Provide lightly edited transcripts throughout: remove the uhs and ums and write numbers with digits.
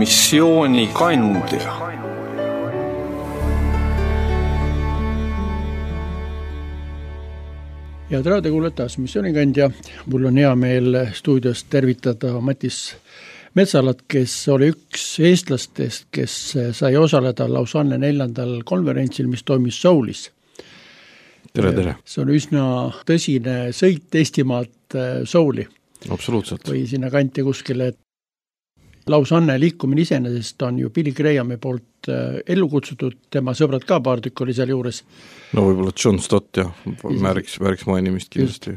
missioonikandja. Head raadiokuulajad, taas missioonikandja. Mul on hea meel stuudios tervitada Matis Metsalat, kes oli üks eestlastest, kes sai osaleda Lausanne 4. konverentsil, mis toimus Soulis. Tere. See on üsna tõsine sõit Eestimaalt Souli. Absoluutselt. Või sinna kanti kuskile. Lausanne liikumine iseenesest on ju Billy Grahami poolt ellu kutsutud, tema sõbrad ka paar tükk oli seal juures. No võib-olla John Stott ja määriks mainimist kindlasti.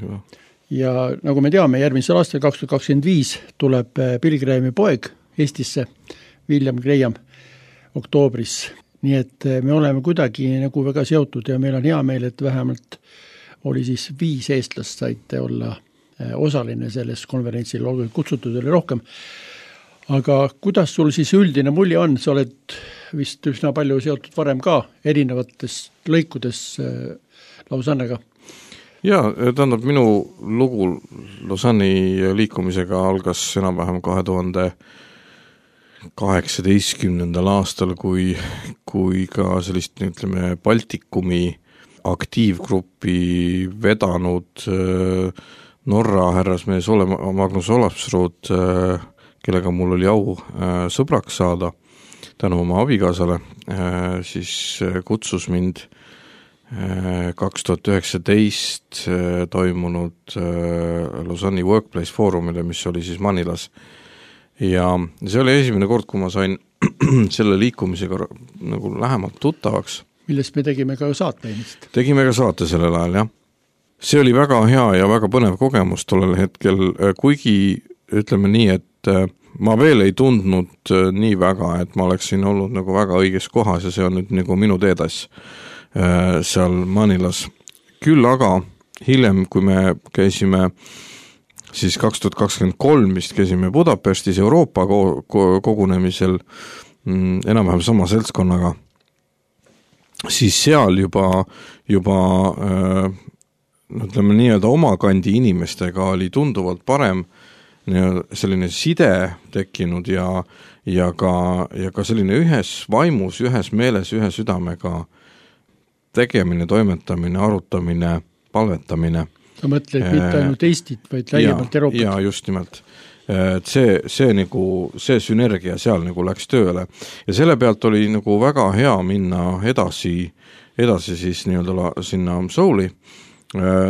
Ja nagu me teame, järgmisel aastal 2025 tuleb Billy Grahami poeg Eestisse, William Graham, oktoobris. Nii et me oleme kuidagi nagu väga seotud ja meil on hea meel, et vähemalt oli siis 5 eestlast saite olla osaline selles konverentsil, olgu kutsutud oli rohkem. Aga kuidas sul siis üldine mulje on? Sa oled vist üsna palju seotud varem ka erinevates lõikudes Lausannega. Ja, tähendab, minu lugu Lausanne'i liikumisega algas enam-vähem 2018. aastal, kui ka sellist, ütleme, Baltikumi aktiivgruppi vedanud Norra härrasmees Magnus Olapsrud, kellega mul oli au sõbraks saada tänu oma abikaasale, siis kutsus mind 2019 toimunud Lausanne'i Workplace Forumile, mis oli siis Manilas. Ja see oli esimene kord, kui ma sain selle liikumisega nagu lähemalt tuttavaks. Millest me tegime ka saate ennist. Tegime ka saate sellel ajal, jah. See oli väga hea ja väga põnev kogemus tollel hetkel, kuigi ütleme nii, et ma veel ei tundnud nii väga, et ma oleksin olnud nagu väga õiges kohas ja see on nüüd nagu minu teedas seal Manilas. Küll aga hiljem, kui me käisime siis 2023 vist käisime Budapestis Euroopa kogunemisel enam-vähem sama seltskonnaga, siis seal juba ütleme nii-öelda oma kandi inimestega oli tunduvalt parem selline side tekkinud ja ka selline ühes vaimus, ühes meeles, ühe südamega tegemine, toimetamine, arutamine, palvetamine. Sa mõtled mitte ainult Eestit, vaid laiemalt Euroopat. Ja just nimelt. See sünergia seal nagu läks tööle. Ja selle pealt oli nagu väga hea minna edasi siis nii-öelda sinna Souli.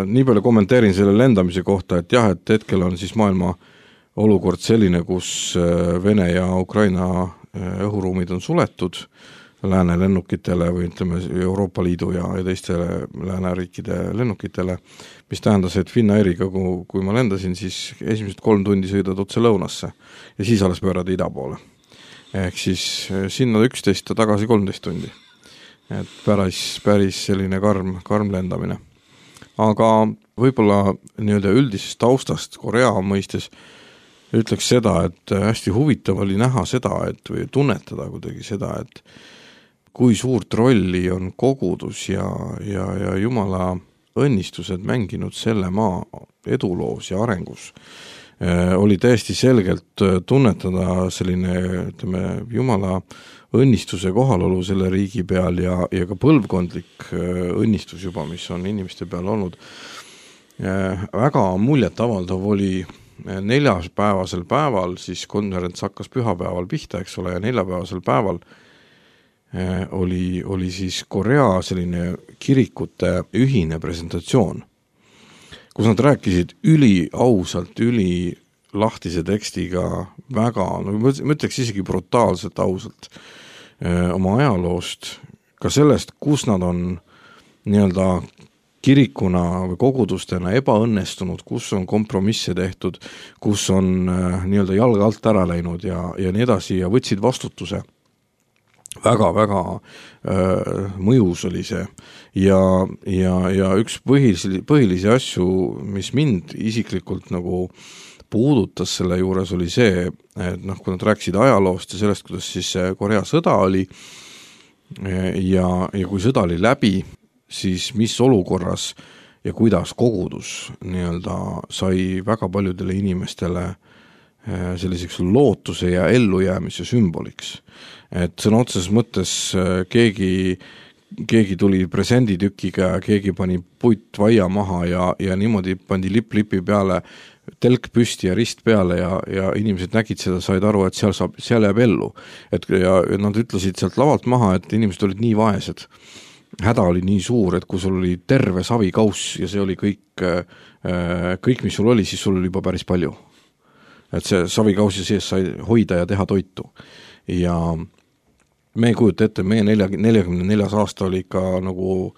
Nii palju kommenteerin selle lendamise kohta, et jah, et hetkel on siis maailma olukord selline, kus Vene ja Ukraina õhuruumid on suletud lääne lennukitele või ütleme Euroopa Liidu ja teistele lääneriikide lennukitele, mis tähendas, et Finnairiga, kui ma lendasin, siis esimesed 3 tundi sõidad otse lõunasse ja siis alles pöörad ida poole. Ehk siis sinna 11 ja tagasi 13 tundi. Et päris selline karm lendamine. Aga võib-olla nii-öelda üldisest taustast Korea mõistes ütleks seda, et hästi huvitav oli näha seda, või tunnetada kuidagi seda, et kui suurt rolli on kogudus ja Jumala õnnistused mänginud selle maa eduloos ja arengus. Oli täiesti selgelt tunnetada selline, ütleme, Jumala õnnistuse kohalolu selle riigi peal ja ka põlvkondlik õnnistus juba, mis on inimeste peal olnud. Väga muljet avaldav oli 4-päevasel päeval, siis konverents hakkas pühapäeval pihta, eks ole, ja 4-päevasel päeval oli siis Korea selline kirikute ühine presentatsioon, kus nad rääkisid ausalt, lahtise tekstiga väga, ma ütleks isegi brutaalselt ausalt oma ajaloost, ka sellest, kus nad on nii-öelda kirikuna või kogudustena ebaõnnestunud, kus on kompromisse tehtud, kus on nii-öelda jalga alt ära läinud ja nii edasi ja võtsid vastutuse. Väga mõjus oli see ja üks põhilisi asju, mis mind isiklikult nagu puudutas selle juures oli see, et kui nad rääkisid ajaloost ja sellest, kuidas siis Korea sõda oli ja kui sõda oli läbi, siis mis olukorras ja kuidas kogudus nii-öelda sai väga paljudele inimestele selliseks lootuse ja ellujäämise sümboliks. Et sõna otseses mõttes keegi tuli presenditükiga ja keegi pani puit vaia maha ja niimoodi pandi lipi peale, telk püsti ja rist peale ja inimesed nägid seda, said aru, et seal jääb ellu. Ja nad ütlesid sealt lavalt maha, et inimesed olid nii vaesed. Häda oli nii suur, et kui sul oli terve savikauss ja see oli kõik, mis sul oli, siis sul oli juba päris palju. Et see savikausi sees sai hoida ja teha toitu. Ja me ei kujuta ette, meie 44 aasta oli ikka nagu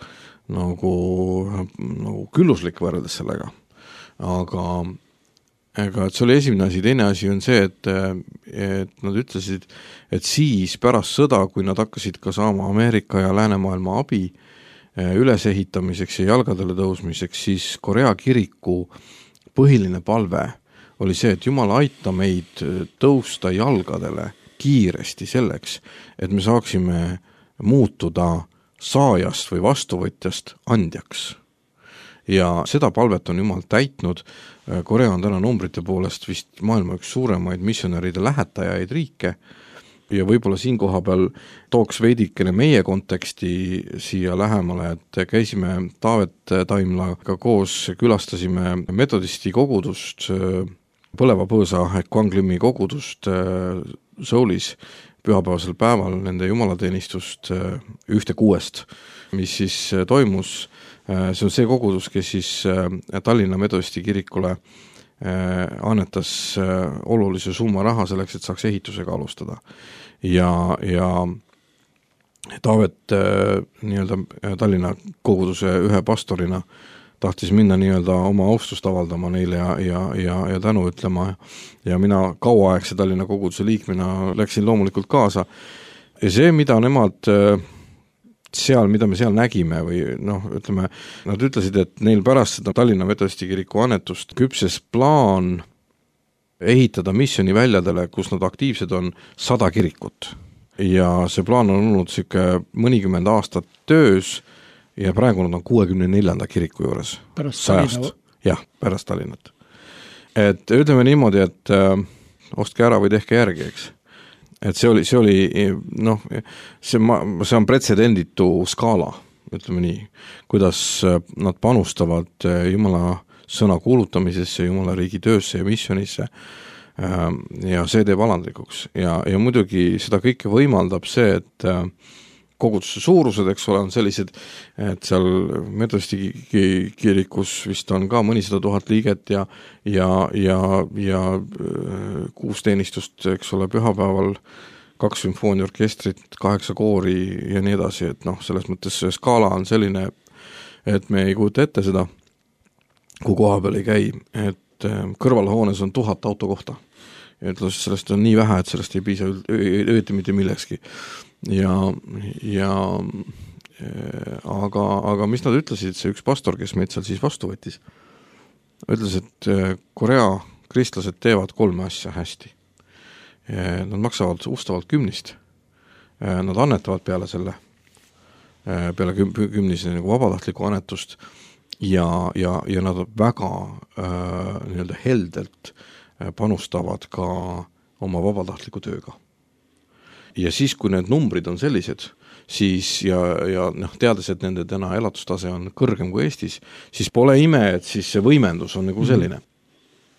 külluslik võrreldes sellega. Aga et see oli esimene asi, teine asi on see, et nad ütlesid, et siis pärast sõda, kui nad hakkasid ka saama Ameerika ja läänemaailma abi ülesehitamiseks ja jalgadele tõusmiseks, siis Korea kiriku põhiline palve oli see, et Jumal aita meid tõusta jalgadele kiiresti selleks, et me saaksime muutuda saajast või vastuvõtjast andjaks. Ja seda palvet on Jumal täitnud. Korea on täna numbrite poolest vist maailma üks suuremaid missionäride lähetajaid riike ja võib-olla siin koha peal tooks veidikene meie konteksti siia lähemale, et käisime Taavet Taimlaga koos, külastasime metodisti kogudust, Põleva Põõsa ehk Kwanglimi kogudust Soulis pühapäevasel päeval, nende jumalateenistust 1.6, mis siis toimus. See on see kogudus, kes siis Tallinna metodisti kirikule annetas olulise summa raha selleks, et saaks ehitusega alustada. Ja Taavet Tallinna koguduse ühe pastorina tahtis minna oma austust avaldama neile ja tänu ütlema ja mina kauaaegse Tallinna koguduse liikmena läksin loomulikult kaasa. Ja see, mida nemad mida me seal nägime või nad ütlesid, et neil pärast seda Tallinna metodisti kiriku annetust küpses plaan ehitada missioni väljadele, kus nad aktiivsed on 100 kirikut. Ja see plaan on olnud mõnikümmend aastat töös ja praegu nad on 64. kiriku juures. Pärast Tallinna? Jah, pärast Tallinnat. Et ütleme niimoodi, et ostke ära või tehke järgi, eks. Et see on pretsedenditu skaala, ütleme nii, kuidas nad panustavad Jumala sõna kuulutamisesse, Jumala riigi töösse ja missionisse ja see teeb alandlikuks. Ja muidugi seda kõike võimaldab see, et koguduse suurused, eks ole, on sellised, et seal metodisti kirikus vist on ka mõnisada 1000 liiget ja 6 teenistust, eks ole, pühapäeval, 2 sümfooniorkestrit, 8 koori ja nii edasi, et selles mõttes see skaala on selline, et me ei kujuta ette seda, kui koha peal ei käi, et kõrvalhoones on 1000 autokohta. Ja sellest on nii vähe, et sellest ei piisa õieti mitte millekski. Aga mis nad ütlesid, see üks pastor, kes meid seal siis vastu võttis, ütles, et Korea kristlased teevad 3 asja hästi. Nad maksavad ustavalt 10, nad annetavad peale kümnise vabatahtliku annetust ja nad väga heldelt panustavad ka oma vabatahtliku tööga. Ja siis, kui need numbrid on sellised, siis teades, et nende täna elatustase on kõrgem kui Eestis, siis pole ime, et siis see võimendus on nagu selline.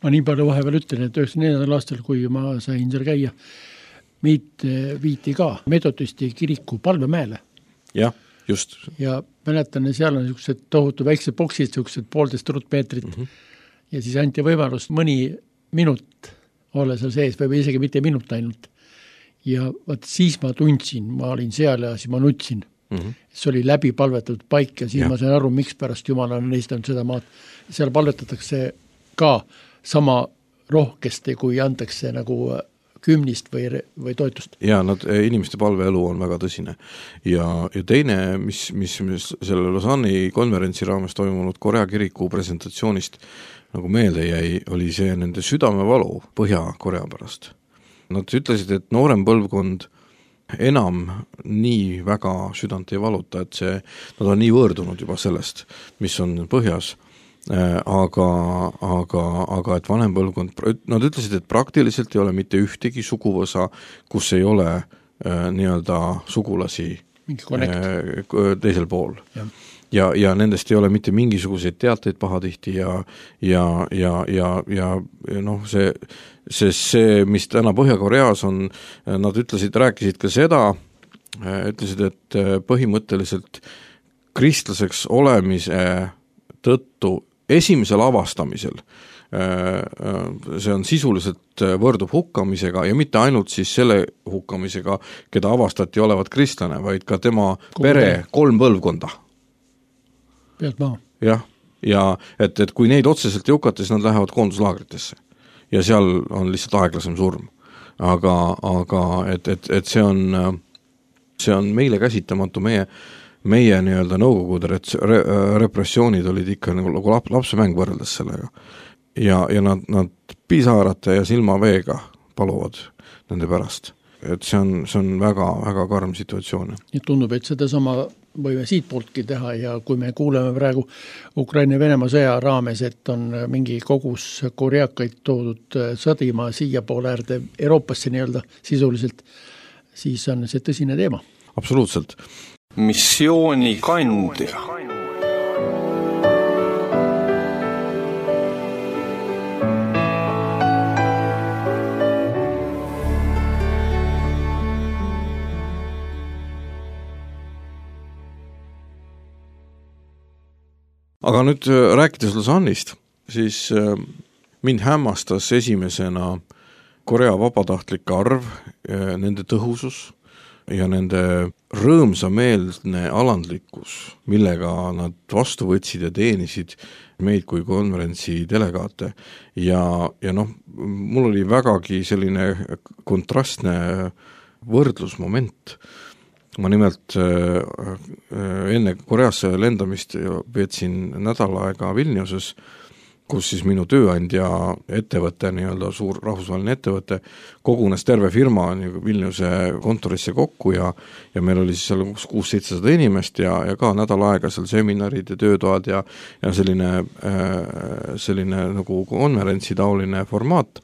Ma nii palju vahepeal ütlen, et 94. aastal, kui ma sain seal käia, meid viiti ka metodisti kiriku Palvemäele. Jah, just. Ja mäletan, seal on niisugused tohutu väiksed boksid, niisugused 1,5 ruutmeetrit ja siis anti võimalust mõni minut olla seal sees või isegi mitte minut ainult. Ja siis ma tundsin, ma olin seal ja siis ma nutsin. See oli läbi palvetatud paik ja siis ma sain aru, miks pärast Jumal on esitanud seda maad. Seal palvetatakse ka sama rohkesti, kui antakse nagu 10 või toetust. Ja inimeste palveelu on väga tõsine. Ja teine, mis selle Lausanne'i konverentsi raames toimunud Korea kiriku presentatsioonist nagu meelde jäi, oli see nende südamevalu Põhja-Korea pärast. Nad ütlesid, et noorem põlvkond enam nii väga südant ei valuta, et nad on nii võõrdunud juba sellest, mis on põhjas, aga et vanem põlvkond, nad ütlesid, et praktiliselt ei ole mitte ühtegi suguvõsa, kus ei ole nii-öelda sugulasi teisel pool. Ja nendest ei ole mitte mingisuguseid teateid pahatihti ja noh, see, mis täna Põhja-Koreas on, nad rääkisid ka seda, ütlesid, et põhimõtteliselt kristlaseks olemise tõttu esimesel avastamisel see on sisuliselt võrdub hukkamisega ja mitte ainult siis selle hukkamisega, keda avastati olevat kristlane, vaid ka tema pere 3 põlvkonda. Pealt maha. Jah, ja et kui neid otseselt ei hukata, siis nad lähevad koonduslaagritesse ja seal on lihtsalt aeglasem surm. Aga et see on meile käsitamatu, meie nii-öelda nõukogude repressioonid olid ikka nagu lapsemäng võrreldes sellega. Ja nad pisarate ja silmaveega paluvad nende pärast. Et see on väga, väga karm situatsioon. Nii tundub, et seda sama võime siit pooltki teha ja kui me kuuleme praegu Ukraina ja Venemaa sõja raames, et on mingi kogus koreakaid toodud sõdima siia poole äärde Euroopasse nii-öelda sisuliselt, siis on see tõsine teema. Absoluutselt. Missiooni kandja. Aga nüüd rääkides Lausannist, siis mind hämmastas esimesena Korea vabatahtlike arv, nende tõhusus ja nende rõõmsameelne alandlikkus, millega nad vastu võtsid ja teenisid meid kui konverentsi delegaate. Ja noh, mul oli vägagi selline kontrastne võrdlusmoment. Ma nimelt enne Koreasse lendamist veetsin nädal aega Vilniuses, kus siis minu tööandja ettevõte, nii-öelda suur rahvusvaheline ettevõte, kogunes terve firma Vilniuse kontorisse kokku ja meil oli siis seal 600-700 inimest ja ka nädal aega seal seminarid ja töötoad ja selline nagu konverentsi taoline formaat.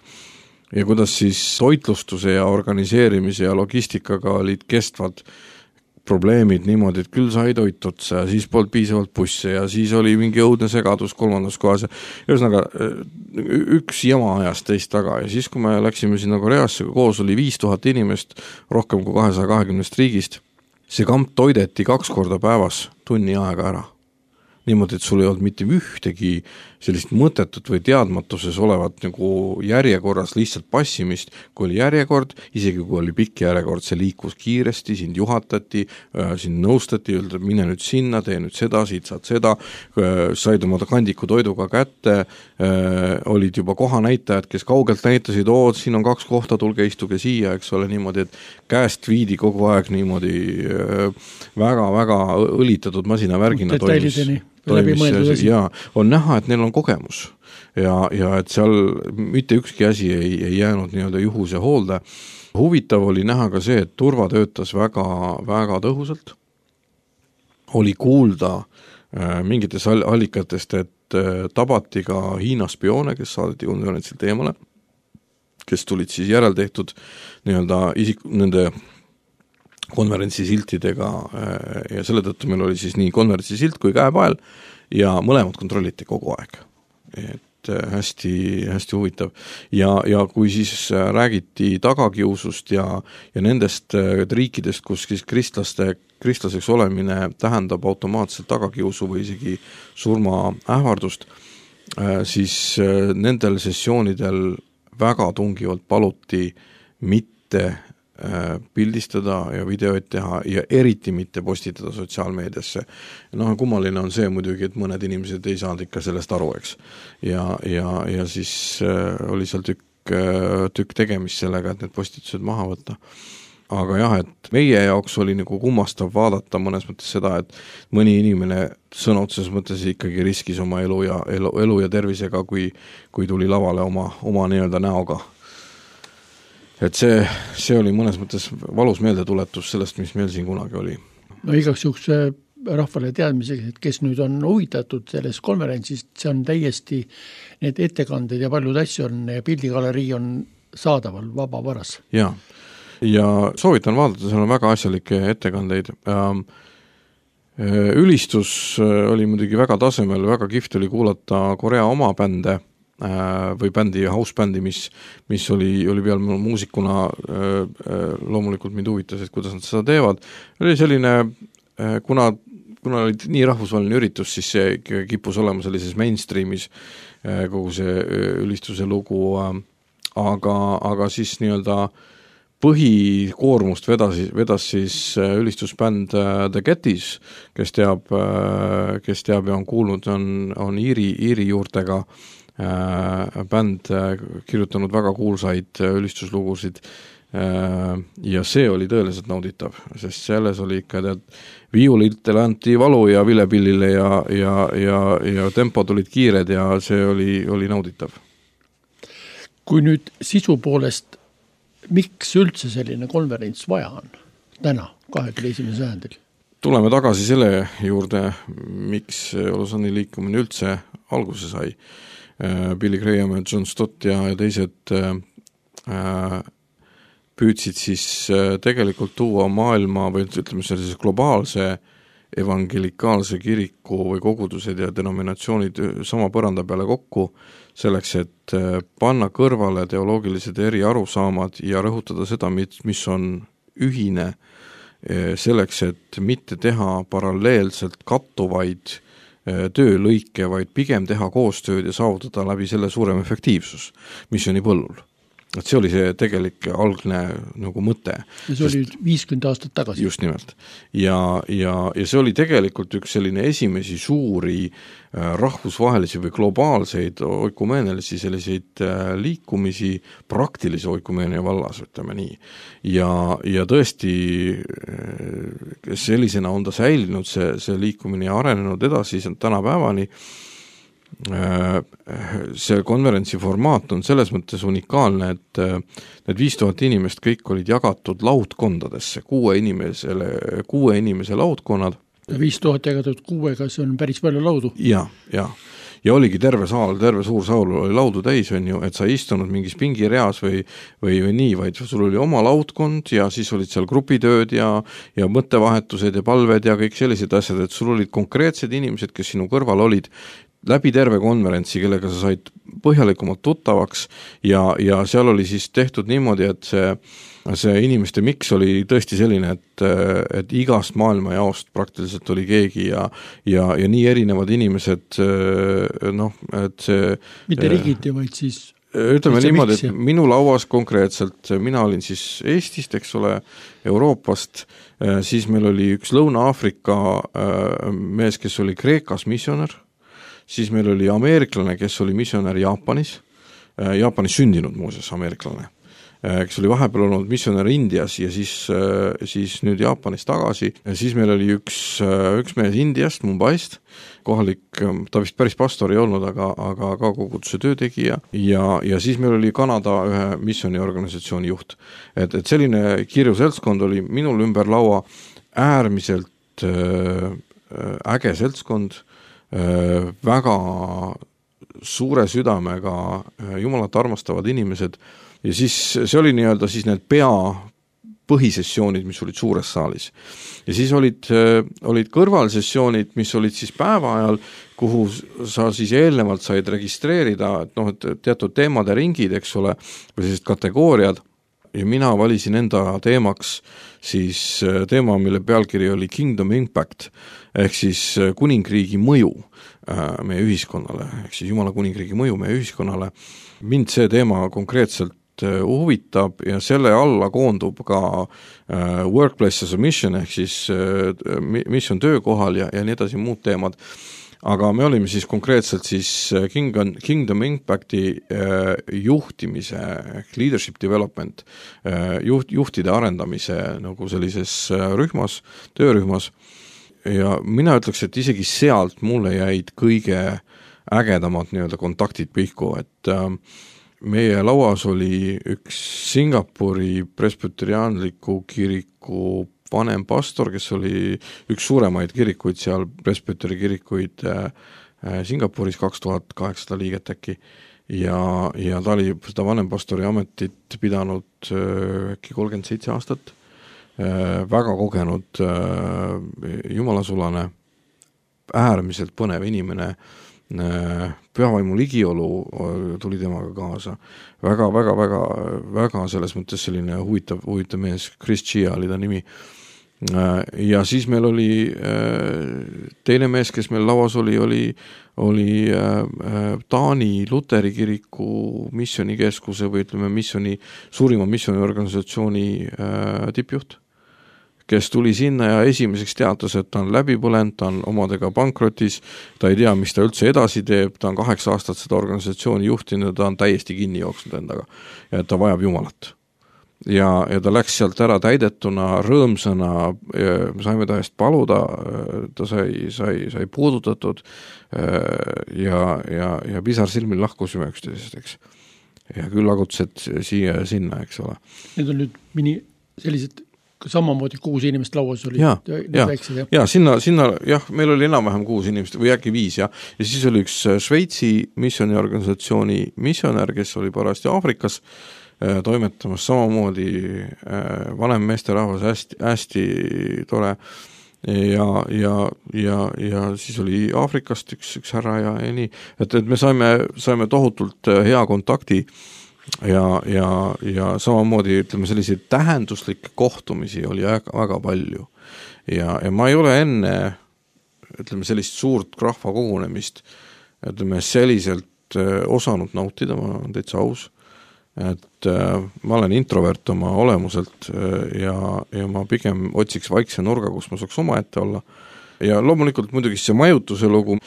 Ja kuidas siis toitlustuse ja organiseerimise ja logistikaga olid kestvad probleemid niimoodi, et küll sai toit otsa ja siis polnud piisavalt busse ja siis oli mingi õudne segadus 3. kohas. Ühesõnaga, üks jama ajas teist taga ja siis, kui me läksime sinna Koreasse, koos oli 5000 inimest, rohkem kui 220 riigist, see kamp toideti 2 korda päevas tunni aega ära. Niimoodi, et sul ei olnud mitte ühtegi sellist mõttetut või teadmatuses olevat nagu järjekorras lihtsalt passimist, kui oli järjekord, isegi kui oli pikk järjekord, see liikus kiiresti, sind juhatati, sind nõustati, öelda, mine nüüd sinna, tee nüüd seda, siit saad seda, said oma kandiku toiduga kätte, olid juba kohanäitajad, kes kaugelt näitasid, siin on 2 kohta, tulge istuge siia, eks ole, niimoodi, et käest viidi kogu aeg niimoodi väga-väga õlitatud masinavärgina toimis ja on näha, et neil on kogemus ja et seal mitte ükski asi ei jäänud nii-öelda juhuse hoolde. Huvitav oli näha ka see, et turva töötas väga, väga tõhusalt. Oli kuulda mingites allikatest, et tabati ka Hiina spioone, kes saadeti konverentsilt eemale, kes tulid siis järeltehtud nii-öelda nende konverentsi siltidega ja selle tõttu meil oli siis nii konverentsi silt kui käepael ja mõlemad kontrolliti kogu aeg. Et hästi, hästi huvitav. Ja kui siis räägiti tagakiusust ja nendest riikidest, kus siis kristlaseks olemine tähendab automaatselt tagakiusu või isegi surmaähvardust, siis nendel sessioonidel väga tungivalt paluti mitte pildistada ja videoid teha ja eriti mitte postitada sotsiaalmeediasse. Kummaline on see muidugi, et mõned inimesed ei saanud ikka sellest aru, eks. Ja siis oli seal tükk tegemist sellega, et need postitused maha võtta. Aga jah, et meie jaoks oli nagu kummastav vaadata mõnes mõttes seda, et mõni inimene sõna otseses mõttes ikkagi riskis oma elu ja tervisega, kui tuli lavale oma nii-öelda näoga. Et see oli mõnes mõttes valus meeldetuletus sellest, mis meil siin kunagi oli. No igaks juhuks rahvale teadmiseks, et kes nüüd on huvitatud sellest konverentsist, see on täiesti, need ettekanded ja paljud asju on ja pildigalerii on saadaval vabavaras. Ja soovitan vaadata, seal on väga asjalikke ettekandeid. Ülistus oli muidugi väga tasemel, väga kihvt oli kuulata Korea oma bände või bändi, house-bändi, mis oli peal muusikuna, loomulikult mind huvitas, et kuidas nad seda teevad. Oli selline, kuna oli nii rahvusvaheline üritus, siis see kippus olema sellises mainstreamis kogu see ülistuse lugu, aga siis nii-öelda põhikoormust vedas siis ülistusbänd The Gettys, kes teab ja on kuulnud, on Iiri juurtega bänd, kirjutanud väga kuulsaid ülistuslugusid ja see oli tõeliselt nauditav, sest selles oli ikka viiulitele anti valu ja vilepillile ja tempo tulid kiired ja see oli nauditav. Kui nüüd sisu poolest miks üldse selline konverents vaja on täna, 21. sajandil? Tuleme tagasi selle juurde, miks Lausanne'i liikumine üldse alguse sai. Billy Graham ja John Stott ja teised püüdsid siis tegelikult tuua maailma või ütleme sellise globaalse evangelikaalse kiriku või kogudused ja denominatsioonid sama põranda peale kokku, selleks, et panna kõrvale teoloogilised eri arusaamad ja rõhutada seda, mis on ühine, selleks, et mitte teha paralleelselt kattuvaid töölõike, vaid pigem teha koostööd ja saavutada läbi selle suurem efektiivsus missiooni põllul. Et see oli see tegelik algne nagu mõte. Ja see oli 50 aastat tagasi. Just nimelt. Ja see oli tegelikult üks selline esimesi suuri rahvusvahelisi või globaalseid oikumeenelisi selliseid liikumisi praktilise oikumeenia vallas, ütleme nii. Ja tõesti sellisena on ta säilinud see liikumine ja arenenud edasi tänapäevani. See konverentsi formaat on selles mõttes unikaalne, et need 5000 inimest kõik olid jagatud laudkondadesse, 6 inimese laudkonnad. 5000 jagatud 6-ga, see on päris palju laudu. Ja oligi terve suur saal oli laudu täis, on ju, et sa istunud mingis pingireas või nii, vaid sul oli oma laudkond ja siis olid seal grupitööd ja mõttevahetused ja palved ja kõik sellised asjad, et sul olid konkreetsed inimesed, kes sinu kõrval olid läbi terve konverentsi, kellega sa said põhjalikumalt tuttavaks ja seal oli siis tehtud niimoodi, et see inimeste miks oli tõesti selline, et igast maailma jaost praktiliselt oli keegi ja nii erinevad inimesed, et see mitte riigiti, vaid siis ütleme niimoodi, et minu lauas konkreetselt, mina olin siis Eestist, eks ole, Euroopast, siis meil oli üks Lõuna-Aafrika mees, kes oli Kreekas missionär, siis meil oli ameeriklane, kes oli missionär Jaapanis sündinud muuseas ameeriklane, kes oli vahepeal olnud missionär Indias ja siis nüüd Jaapanis tagasi. Ja siis meil oli üks mees Indiast, Mumbaist, kohalik, ta vist päris pastor ei olnud, aga ka koguduse töötegija ja siis meil oli Kanada ühe missioniorganisatsiooni juht. Et selline kirju seltskond oli minul ümber laua äärmiselt äge seltskond, väga suure südamega Jumalat armastavad inimesed ja siis see oli nii-öelda siis need põhisessioonid, mis olid suures saalis. Ja siis olid kõrvalsessioonid, mis olid siis päeva ajal, kuhu sa siis eelnevalt said registreerida, et teatud teemade ringid, eks ole, või sellised kategooriad ja mina valisin enda teemaks siis teema, mille pealkiri oli Kingdom Impact, ehk siis kuningriigi mõju meie ühiskonnale, ehk siis Jumala kuningriigi mõju meie ühiskonnale. Mind see teema konkreetselt huvitab ja selle alla koondub ka workplace as a mission ehk siis mission töökohal ja nii edasi muud teemad. Aga me olime siis konkreetselt siis Kingdom Impacti juhtimise, leadership development, juhtide arendamise nagu sellises töörühmas. Ja mina ütleks, et isegi sealt mulle jäid kõige ägedamad nii-öelda kontaktid pihku, et meie lauas oli üks Singapuri presbyteriaanliku kiriku vanem pastor, kes oli üks suuremaid kirikuid seal, presbyteri kirikuid Singapuris, 2800 liiget äkki, ja ta oli seda vanempastori ametit pidanud äkki 37 aastat, väga kogenud jumalasulane, äärmiselt põnev inimene, pühavaimu ligiolu tuli temaga kaasa, väga selles mõttes selline huvitav mees, Chris Chia oli ta nimi. Ja siis meil oli teine mees, kes meil lauas oli Taani Luteri kiriku missionikeskuse või ütleme suurima missioniorganisatsiooni tippjuht, kes tuli sinna ja esimeseks teatas, et ta on läbi põlenud, ta on omadega pankrotis, ta ei tea, mis ta üldse edasi teeb, ta on 8 aastat seda organisatsiooni juhtinud ja ta on täiesti kinni jooksnud endaga ja et ta vajab Jumalat. Ja ta läks sealt ära täidetuna, rõõmsana, me saime ta eest paluda, ta sai puudutatud ja pisar silmil lahkusime üksteisest, eks. Ja küll agutused siia ja sinna, eks ole. Need on nüüd sellised samamoodi 6 inimest lauas oli. Ja sinna, jah, meil oli enam-vähem 6 inimest või äkki 5, ja siis oli üks Šveitsi missioniorganisatsiooni missionär, kes oli parajasti Aafrikas toimetamas, samamoodi vanem meesterahvas, hästi tore ja siis oli Aafrikast üks härra ja nii, et me saime tohutult hea kontakti ja samamoodi ütleme selliseid tähenduslikke kohtumisi oli väga palju ja ma ei ole enne ütleme sellist suurt rahva kogunemist ütleme selliselt osanud nautida, ma olen täitsa aus, et ma olen introvert oma olemuselt ja ma pigem otsiks vaikse nurga, kus ma saaks omaette olla. Ja loomulikult muidugi see majutuse lugu,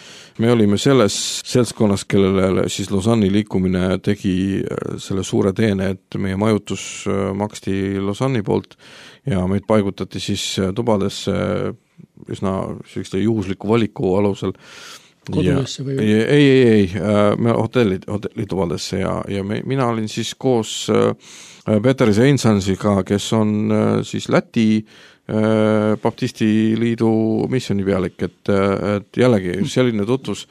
me olime selles seltskonnas, kellele siis Lausanne'i liikumine tegi selle suure teene, et meie majutus maksti Lausanne'i poolt ja meid paigutati siis tubadesse üsna selliste juhusliku valiku alusel. Kodulesse või? Ei, me hotellitubadesse ja mina olin siis koos Peter Zeinsansiga, kes on siis Läti Baptisti liidu missionipealik, et jällegi selline tutvus.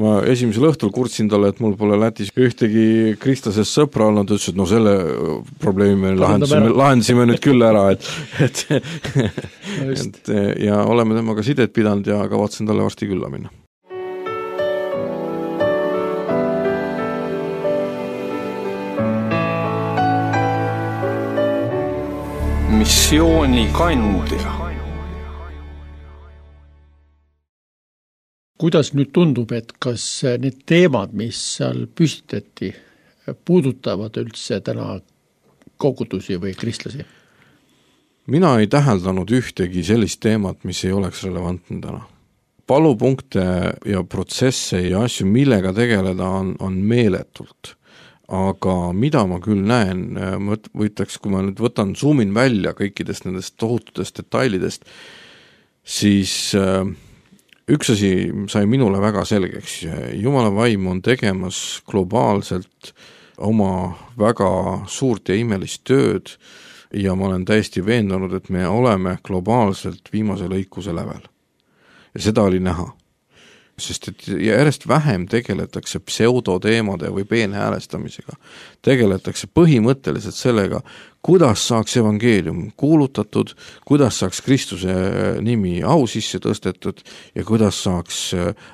Ma esimesel õhtul kurtsin talle, et mul pole Lätis ühtegi kristlasest sõpra olnud, ütles, et no selle probleemi me lahendasime nüüd küll ära, et ja oleme temaga sidet pidanud ja kavatsen talle varsti külla minna. Missioonikandja. Kuidas nüüd tundub, et kas need teemad, mis seal püstitati, puudutavad üldse täna kogudusi või kristlasi? Mina ei täheldanud ühtegi sellist teemat, mis ei oleks relevantne täna. Palupunkte ja protsesse ja asju, millega tegeleda on meeletult. Aga mida ma küll näen, võtaks, kui ma nüüd zoomin välja kõikidest nendest tohututest detailidest, siis üks asi sai minule väga selgeks. Jumala vaim on tegemas globaalselt oma väga suurt ja imelist tööd ja ma olen täiesti veendunud, et me oleme globaalselt viimase lõikuse lävel. Ja seda oli näha. Sest et järjest vähem tegeletakse pseudoteemade või peenhäälestamisega. Tegeletakse põhimõtteliselt sellega, kuidas saaks evangeelium kuulutatud, kuidas saaks Kristuse nimi au sisse tõstetud ja kuidas saaks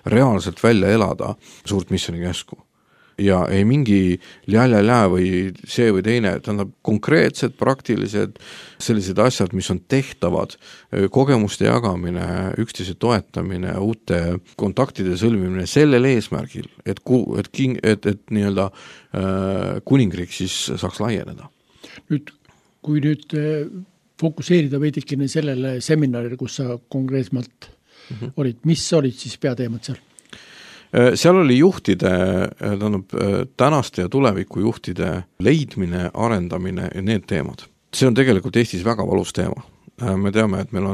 reaalselt välja elada suurt missionikäsku. Ja ei mingi lja või see või teine, tähendab konkreetsed, praktilised sellised asjad, mis on tehtavad, kogemuste jagamine, üksteise toetamine, uute kontaktide sõlmimine sellel eesmärgil, et nii-öelda kuningriik siis saaks laieneda. Kui fokuseerida veidikene sellele seminarile, kus sa konkreetselt olid, mis olid siis peateemad seal? Seal oli juhtide, tänaste ja tuleviku juhtide leidmine, arendamine ja need teemad. See on tegelikult Eestis väga valus teema. Me teame, et meil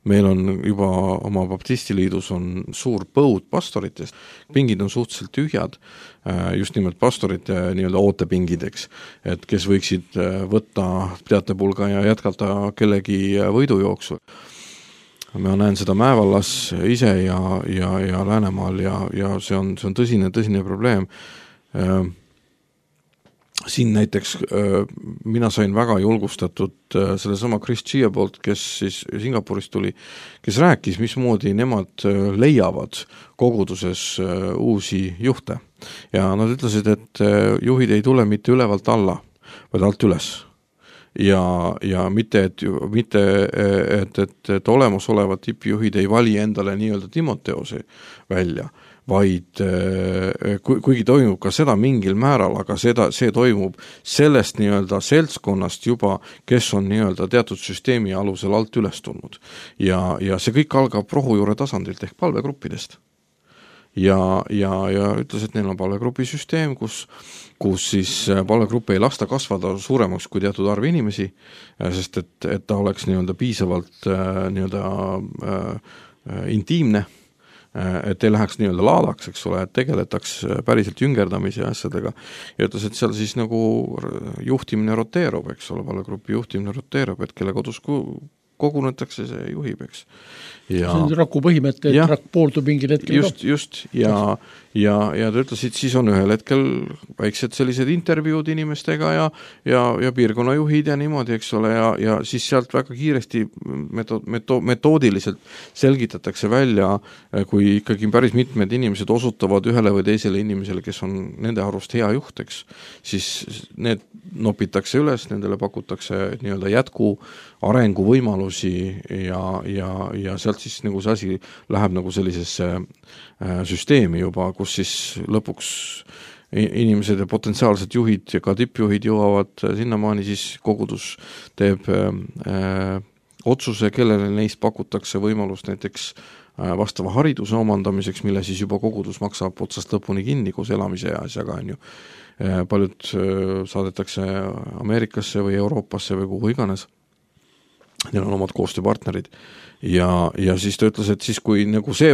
meil on juba oma baptistiliidus on suur põud pastoritest, pingid on suhteliselt tühjad, just nimelt pastorite nii-öelda ootepingid, eks, et kes võiksid võtta teatepulga ja jätkata kellegi võidujooksu. Ma näen seda Mäevallas ise ja Läänemaal ja see on tõsine probleem. Siin näiteks mina sain väga julgustatud sellesama Chris Chia poolt, kes siis Singapurist tuli, kes rääkis, mismoodi nemad leiavad koguduses uusi juhte. Ja nad ütlesid, et juhid ei tule mitte ülevalt alla, vaid alt üles. Ja mitte, et olemasolevad tippjuhid ei vali endale nii-öelda Timoteose välja, vaid kuigi toimub ka seda mingil määral, aga see toimub sellest nii-öelda seltskonnast juba, kes on nii-öelda teatud süsteemi alusel alt üles tulnud. Ja see kõik algab rohujuure tasandilt ehk palvegruppidest. Ja ütles, et neil on palvegrupi süsteem, kus siis palvegrupp ei lasta kasvada suuremaks kui teatud arv inimesi, sest et ta oleks nii-öelda piisavalt nii-öelda intiimne, et ei läheks nii-öelda laadaks, eks ole, et tegeletaks päriselt jüngerdamise asjadega. Ja ütles, et seal siis nagu juhtimine roteerub, eks ole, palvegrupi juhtimine roteerub, et kelle kodus kogunetakse, see juhib, eks. See on raku põhimõte, et rakk pooldub mingil hetkel. Just, ja ta ütlesid, siis on ühel hetkel väiksed sellised intervjuud inimestega ja piirkonnajuhid ja niimoodi, eks ole, ja siis sealt väga kiiresti metoodiliselt selgitatakse välja, kui ikkagi päris mitmed inimesed osutavad ühele või teisele inimesele, kes on nende arvust hea juht, eks, siis need nopitakse üles, nendele pakutakse nii-öelda jätku arenguvõimalusi ja sealt siis nagu see asi läheb nagu sellisesse süsteemi juba, kus siis lõpuks inimesed ja potentsiaalsed juhid ja ka tippjuhid jõuavad sinnamaani, siis kogudus teeb otsuse, kellele neist pakutakse võimalust näiteks vastava hariduse omandamiseks, mille siis juba kogudus maksab otsast lõpuni kinni koos elamise ja asjaga, on ju. Paljud saadetakse Ameerikasse või Euroopasse või kuhu iganes. Neil on omad koostööpartnerid ja siis ta ütles, et siis kui nagu see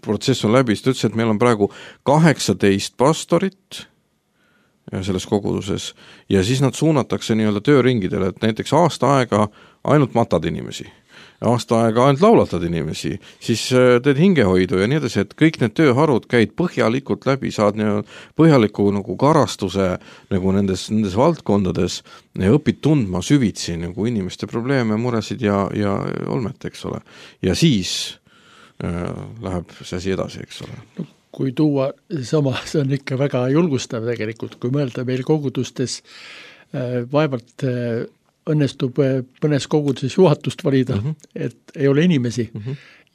protsess on läbi, siis ta ütles, et meil on praegu 18 pastorit selles koguduses ja siis nad suunatakse nii-öelda tööringidele, et näiteks aasta aega ainult matad inimesi, aasta aega ainult laulatad inimesi, siis teed hingehoidu ja nii edasi, et kõik need tööharud käid põhjalikult läbi, saad põhjaliku nagu karastuse nagu nendes valdkondades ja õpid tundma süvitsi nagu inimeste probleeme, muresid ja olmet, eks ole. Ja siis läheb see asi edasi, eks ole. No, kui tuua sama, see on ikka väga julgustav tegelikult, kui mõelda meil kogudustes vaevalt õnnestub mõnes koguduses juhatust valida, et ei ole inimesi.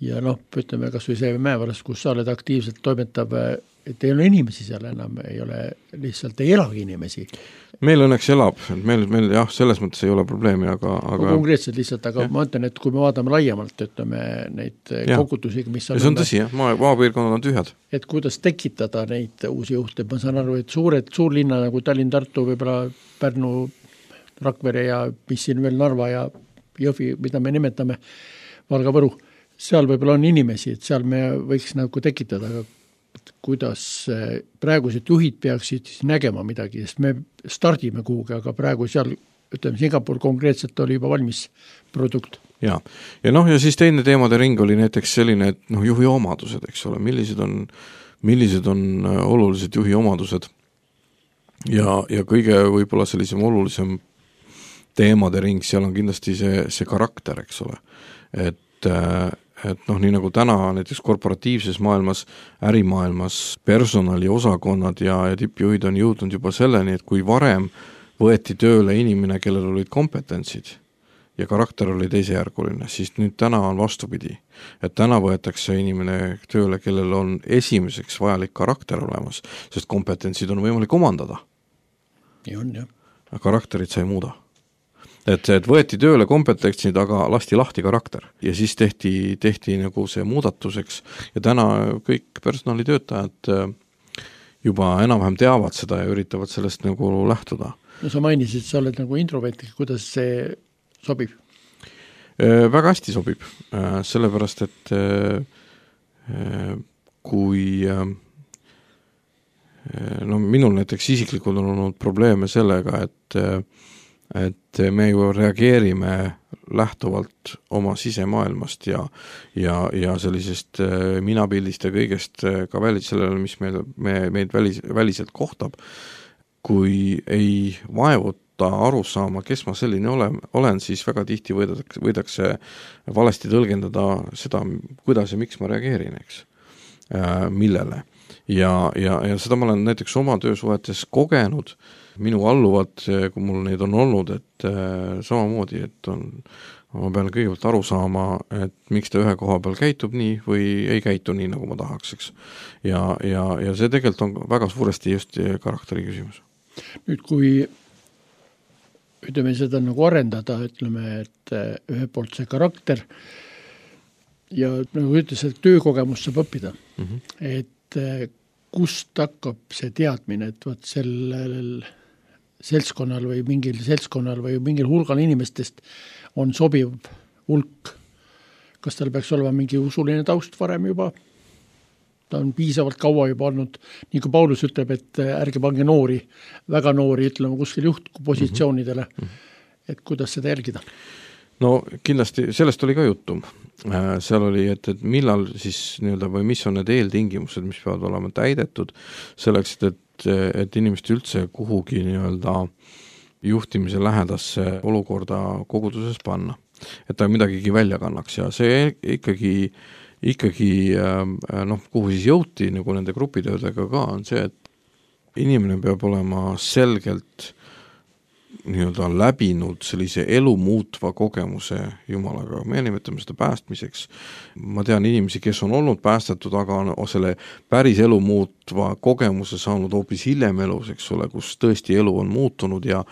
Ja ütleme kas või see Mäevaras, kus sa oled aktiivselt toimetav, et ei ole inimesi seal enam, lihtsalt ei elagi inimesi. Meil õnneks elab, meil jah, selles mõttes ei ole probleemi, aga konkreetselt lihtsalt, aga ma ütlen, et kui me vaatame laiemalt, ütleme neid kogudusi, mis on... See on tõsi, jah, maapiirkonnad on tühjad. Et kuidas tekitada neid uusi juhte, ma saan aru, et suurlinna nagu Tallinn, Tartu, võib-olla Pärnu, Rakvere ja mis siin veel Narva ja Jõhvi, mida me nimetame, Valga, Võru, seal võib-olla on inimesi, et seal me võiks nagu tekitada, aga kuidas praegused juhid peaksid siis nägema midagi, sest me stardime kuhugi, aga praegu seal, ütleme, Singapur konkreetselt oli juba valmis produkt. Ja siis teine teemade ring oli näiteks selline, et juhi omadused, eks ole, millised on olulised juhi omadused ja kõige võib-olla sellisem olulisem teemade ring, seal on kindlasti see karakter, eks ole. Et nii nagu täna näiteks korporatiivses maailmas, ärimaailmas personaliosakonnad ja tippjuhid on jõudnud juba selleni, et kui varem võeti tööle inimene, kellel olid kompetentsid ja karakter oli teisejärguline, siis nüüd täna on vastupidi. Et täna võetakse inimene tööle, kellel on esimeseks vajalik karakter olemas, sest kompetentsid on võimalik omandada. Nii on, jah. Karakterit sa ei muuda. Et võeti tööle kompetentsid, aga lasti lahti karakter ja siis tehti nagu see muudatuseks ja täna kõik personalitöötajad juba enam-vähem teavad seda ja üritavad sellest nagu lähtuda. No sa mainisid, sa oled nagu introvert, kuidas see sobib? Väga hästi sobib, sellepärast, et kui minul näiteks isiklikult on olnud probleeme sellega, et me ju reageerime lähtuvalt oma sisemaailmast ja sellisest minapildist ja kõigest ka sellele, mis meid väliselt kohtab, kui ei vaevuta aru saama, kes ma selline olen, siis väga tihti võidakse valesti tõlgendada seda, kuidas ja miks ma reageerin, eks, millele. Ja seda ma olen näiteks oma töösuhetes kogenud, minu alluvad, kui mul neid on olnud, et samamoodi, et ma pean kõigepealt aru saama, et miks ta ühe koha peal käitub nii või ei käitu nii, nagu ma tahaks, eks. Ja see tegelikult on väga suuresti just karakteri küsimus. Nüüd, kui ütleme seda nagu arendada, ütleme, et ühe poolt see karakter ja nagu ütles, et töökogemus saab õppida. Et kust hakkab see teadmine, et võt sellel seltskonnal või mingil seltskonnal või mingil hulgal inimestest on sobiv hulk. Kas tal peaks olema mingi usuline taust varem juba? Ta on piisavalt kaua juba olnud, nii kui Paulus ütleb, et ärge pange noori, väga noori, ütleme kuskil juhtpositsioonidele, et kuidas seda jälgida? No kindlasti, sellest oli ka juttu. Seal oli, et millal siis nii-öelda või mis on need eeltingimused, mis peavad olema täidetud selleks, et inimest üldse kuhugi nii-öelda juhtimise lähedasse olukorda koguduses panna. Et ta midagigi välja kannaks ja see ikkagi kuhu siis jõuti nagu nende grupitöödega ka on see, et inimene peab olema selgelt nii-öelda läbinud sellise elu muutva kogemuse Jumalaga. Me nimetame seda päästmiseks. Ma tean inimesi, kes on olnud päästetud, aga on selle päris elu muutva kogemuse saanud hoopis hiljem elus, eks ole, kus tõesti elu on muutunud ja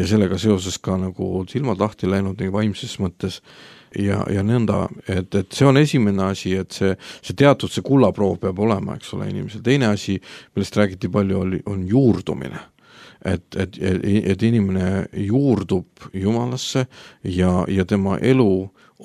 sellega seoses ka nagu silmad lahti läinud nii vaimses mõttes ja nõnda, et see on esimene asi, et see teatud see kullaproov peab olema, eks ole, inimesel. Teine asi, millest räägiti palju, on juurdumine. Et inimene juurdub Jumalasse ja tema elu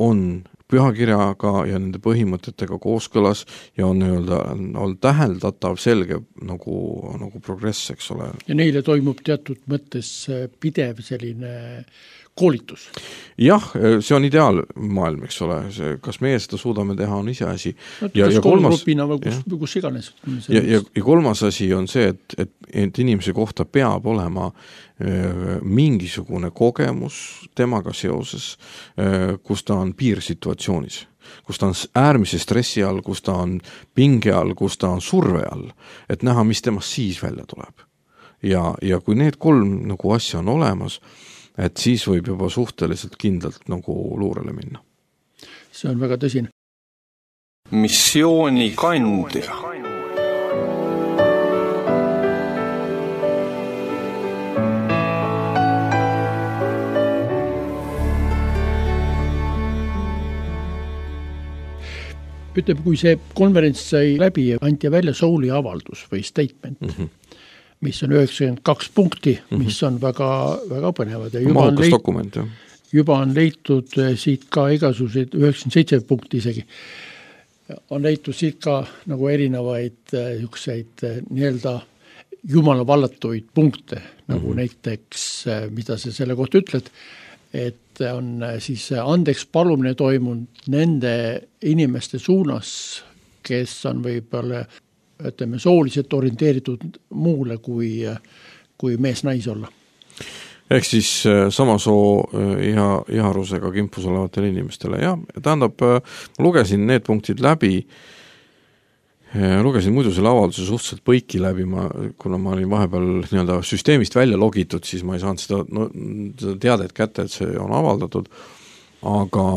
on pühakirjaga ja nende põhimõtetega kooskõlas ja on täheldatav selge nagu progress, eks ole. Ja neile toimub teatud mõttes pidev selline koolitus. Jah, see on ideaalmaailm, eks ole. Kas meie seda suudame teha, on ise asi. Ja kolmrupina või kus iganes. Ja kolmas asi on see, et inimese kohta peab olema mingisugune kogemus temaga seoses, kus ta on piirsituatsioonis, kus ta on äärmise stressi all, kus ta on pinge all, kus ta on surve all, et näha, mis temast siis välja tuleb. Ja kui need kolm nagu asja on olemas, et siis võib juba suhteliselt kindlalt nagu luurele minna. See on väga tõsine. Missiooni kandja. Ütleb, kui see konverents sai läbi ja anti välja Souli avaldus või statement, mis on 92 punkti, mis on väga, väga põnevad. Ja mahukas dokument, jah. Juba on leitud siit ka igasuguseid 97 punkti isegi. On leitud siit ka nagu erinevaid nii-öelda Jumala vallatuid punkte, nagu näiteks, mida sa selle kohta ütled, et on siis andeks palumine toimunud nende inimeste suunas, kes on võib-olla sooliselt orienteeritud muule kui mees-nais olla. Ehk siis sama soo iharusega kimpus olevatele inimestele. Ja tähendab, lugesin need punktid läbi, lugesin muidu selle avalduse suhteliselt põiki läbi, kuna ma olin vahepeal nii-öelda süsteemist välja logitud, siis ma ei saanud seda teadet kätte, et see on avaldatud, aga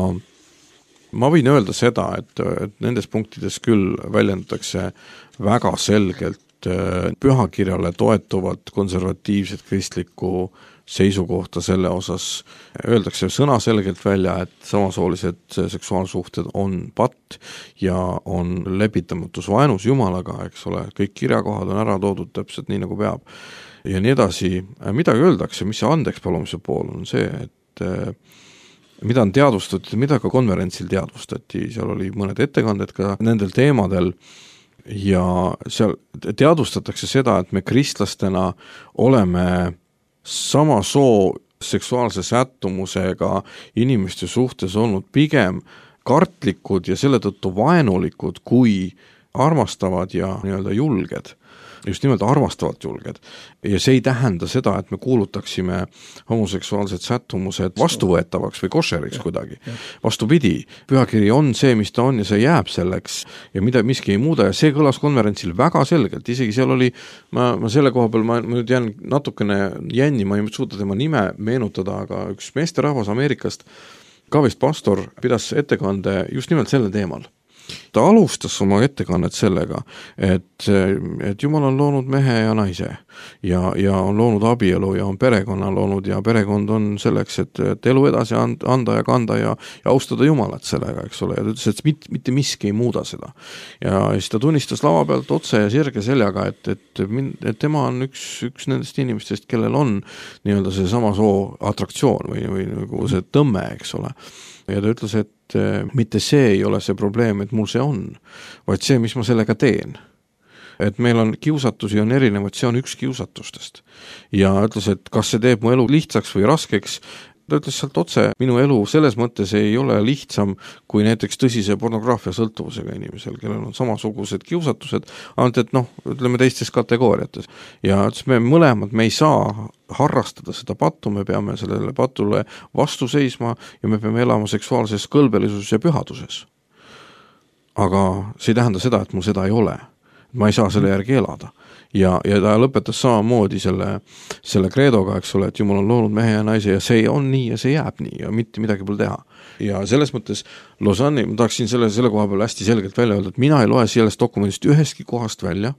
ma võin öelda seda, et nendes punktides küll väljendatakse väga selgelt pühakirjale toetuvat konservatiivset kristlikku seisukohta selle osas. Öeldakse sõnaselgelt välja, et samasoolised seksuaalsuhted on patt ja on lepitamatus vaenus Jumalaga, eks ole, kõik kirjakohad on ära toodud täpselt nii, nagu peab. Ja nii edasi, midagi öeldakse, mis see andeks palumise pool on see, mida on teadvustati, mida ka konverentsil teadvustati, seal oli mõned ettekanded ka nendel teemadel ja seal teadvustatakse seda, et me kristlastena oleme sama soo seksuaalse sättumusega inimeste suhtes olnud pigem kartlikud ja selle tõttu vaenulikud kui armastavad ja nii-öelda julged. Just nimelt armastavalt julged. Ja see ei tähenda seda, et me kuulutaksime homoseksuaalsed sättumused vastuvõetavaks või košeriks kuidagi. Vastupidi, pühakiri on see, mis ta on ja see jääb selleks ja mida miski ei muuda ja see kõlas konverentsil väga selgelt, isegi seal oli, ma selle koha peal, ma nüüd jään natukene jänni, ma ei suuda tema nime meenutada, aga üks meesterahvas Ameerikast, ka vist pastor, pidas ettekande just nimelt selle teemal. Ta alustas oma ettekannet sellega, et Jumal on loonud mehe ja naise ja on loonud abielu ja on perekonna loonud ja perekond on selleks, et elu edasi anda ja kanda ja austada Jumalat sellega, eks ole, ja ta ütles, et mitte miski ei muuda seda. Ja siis ta tunnistas lava pealt otse ja sirge seljaga, et tema on üks nendest inimestest, kellel on nii-öelda see sama soo atraktsioon või nagu see tõmme, eks ole. Ja ta ütles, et mitte see ei ole see probleem, et mul see on, vaid see, mis ma sellega teen. Et meil on kiusatusi on erinevad, see on üks kiusatustest. Ja ütles, et kas see teeb mu elu lihtsaks või raskeks, ta ütles sealt otse, minu elu selles mõttes ei ole lihtsam kui näiteks tõsise pornograafia sõltuvusega inimesel, kellel on samasugused kiusatused, ainult et ütleme teistes kategooriates. Ja ütles, me mõlemad, me ei saa harrastada seda pattu, me peame sellele patule vastu seisma ja me peame elama seksuaalses kõlbelisuses ja pühaduses. Aga see ei tähenda seda, et mul seda ei ole. Ma ei saa selle järgi elada. Ja ta lõpetas samamoodi selle kreedoga, eks ole, et Jumal on loonud mehe ja naise ja see on nii ja see jääb nii ja mitte midagi pole teha. Ja selles mõttes Lausanne'i, ma tahaksin selle koha peal hästi selgelt välja öelda, et mina ei loe sellest dokumendist ühestki kohast välja,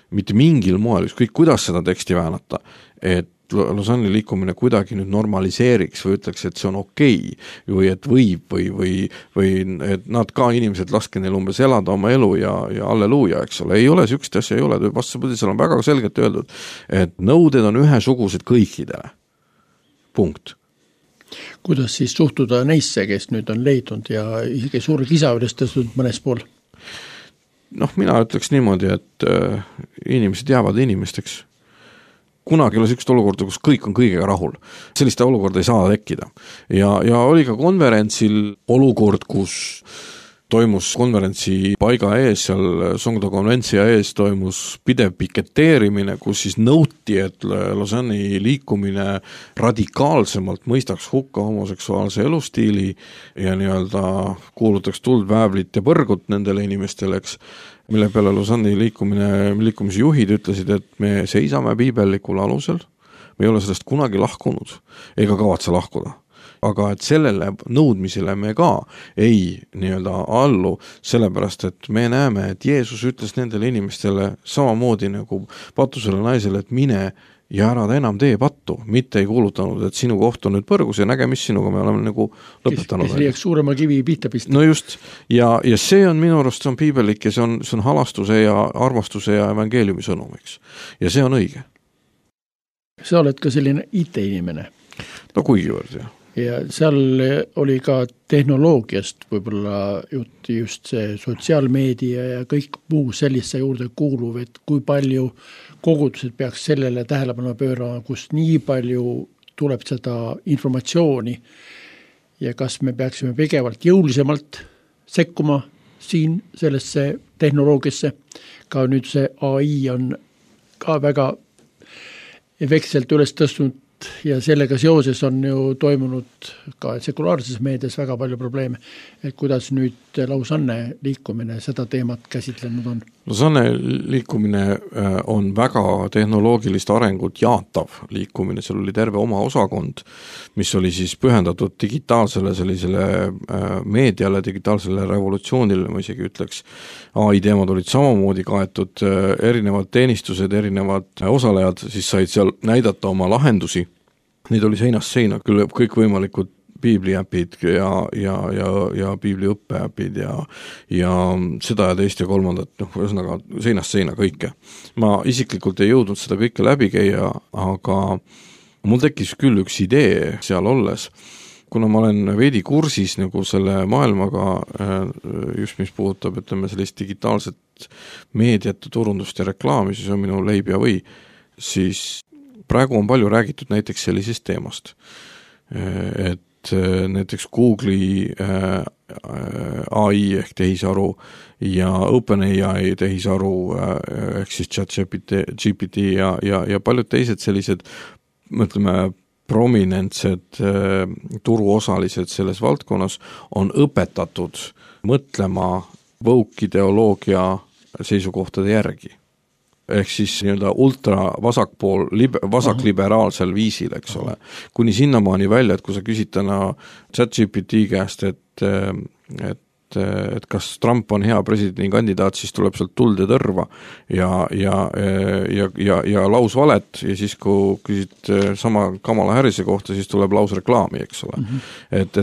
mitte mingil moel, ükskõik kuidas seda teksti väänata, et Lausanne'i liikumine kuidagi nüüd normaliseeriks või ütleks, et see on okei või et võib või et nad ka inimesed laske neil umbes elada oma elu ja alleluuja, eks ole, ei ole sükst asja, ei ole, vastupidi, seal on väga selgelt öeldud, et nõuded on ühesugused kõikidele. Punkt. Kuidas siis suhtuda neisse, kes nüüd on leidnud ja isegi suure kisa üles tõstnud mõnes pool? Mina ütleks niimoodi, et inimesed jäävad inimesteks. Kunagi oli sellist olukorda, kus kõik on kõigega rahul. Selliste olukorda ei saa tekkida. Ja oli ka konverentsil olukord, kus toimus konverentsi paiga ees, seal Songdo konventsia ees toimus pidev piketeerimine, kus siis nõuti, et Lausanne'i liikumine radikaalsemalt mõistaks hukka homoseksuaalse elustiili ja nii-öelda kuulutaks tuld, väävlit ja põrgut nendele inimestele, eks, mille peale Lausanne'i liikumise juhid ütlesid, et me seisame piibellikul alusel, me ei ole sellest kunagi lahkunud ega kavatse lahkuda. Aga et sellele nõudmisele me ka ei nii-öelda allu, sellepärast, et me näeme, et Jeesus ütles nendele inimestele samamoodi nagu patusele naisele, et mine ja ära ta enam tee pattu, mitte ei kuulutanud, et sinu koht on nüüd põrgus ja nägemist sinuga me oleme nagu lõpetanud. Kes liiaks suurema kivi pihta pista. No just, ja see on minu arust, see on piibellik ja see on halastuse ja armastuse ja evangeeliumi sõnumiks. Ja see on õige. Sa oled ka selline IT-inimene. No kuigivõrd, jah. Ja seal oli ka tehnoloogiast võib-olla just see sotsiaalmeedia ja kõik muu sellise juurde kuuluv, et kui palju kogudused peaks sellele tähelepanu pöörama, kus nii palju tuleb seda informatsiooni ja kas me peaksime pigevalt jõulisemalt sekkuma siin sellesse tehnoloogiasse. Ka nüüd see AI on ka väga efektselt üles tõstnud ja sellega seoses on ju toimunud ka sekulaarses meedias väga palju probleeme, et kuidas nüüd Lausanne liikumine seda teemat käsitlenud on? Lausanne liikumine on väga tehnoloogilist arengut jaatav liikumine, seal oli terve oma osakond, mis oli siis pühendatud digitaalsele sellisele meediale, digitaalsele revolutsioonile, ma isegi ütleks. AI teemad olid samamoodi kaetud, erinevad teenistused, erinevad osalejad, siis said seal näidata oma lahendusi. Neid oli seinast seina, küll kõik võimalikud piibliäpid ja piibliõppeäpid ja seda ja teist ja kolmandat, ühesõnaga seinast seina kõike. Ma isiklikult ei jõudnud seda kõike läbi käia, aga mul tekkis küll üks idee seal olles, kuna ma olen veidi kursis nagu selle maailmaga, just mis puudutab, ütleme, sellist digitaalset meediat, turundust ja reklaami, siis on minu leib ja või, siis praegu on palju räägitud näiteks sellisest teemast, et näiteks Google'i AI ehk tehisaru ja OpenAI tehisaru ehk siis ChatGPT ja paljud teised sellised, mõtleme, prominentsed turuosalised selles valdkonnas on õpetatud mõtlema woke-ideoloogia seisukohtade järgi. Ehk siis nii-öelda ultra vasakpool, vasakliberaalsel viisil, eks ole. Kuni sinnamaani välja, et kui sa küsid täna ChatGPT käest, et kas Trump on hea presidendikandidaat, siis tuleb sealt tuld ja tõrva ja lausvalet ja siis kui küsid sama Kamala Harrise kohta, siis tuleb lausreklaami, eks ole. Et